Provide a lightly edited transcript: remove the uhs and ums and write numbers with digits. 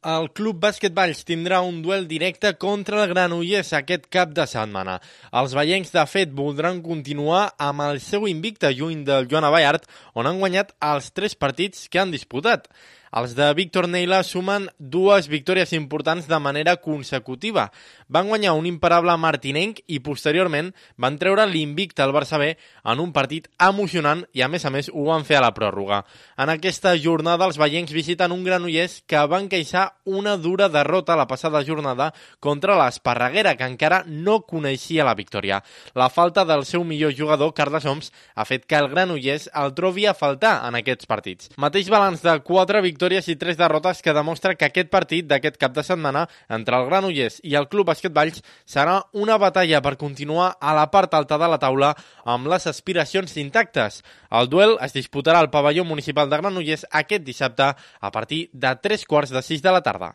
El Club Bàsquet Valls tindrà un duel directe contra el Granollers aquest cap de setmana. Els vallencs, de fet, voldran continuar amb el seu invicte lluny del Joan Ballart, on han guanyat els 3 partits que han disputat. Els de Víctor Neila sumen 2 victòries importants de manera consecutiva. Van guanyar un imparable martinenc i posteriorment van treure l'invicte al Barça B en un partit emocionant i a més ho van fer a la pròrroga. En aquesta jornada els vallencs visiten un Granollers que van queixar una dura derrota la passada jornada contra l'Esparreguera, que encara no coneixia la victòria. La falta del seu millor jugador, Carles Oms, ha fet que el Granollers el trobi a faltar en aquests partits. Mateix balanç de 4 victòries i 3 derrotes que demostra que aquest partit d'aquest cap de setmana entre el Granollers i el Club Bàsquet Valls serà una batalla per continuar a la part alta de la taula amb les aspiracions intactes. El duel es disputarà al pavelló municipal de Granollers aquest dissabte a partir de 3:45 de la tarda.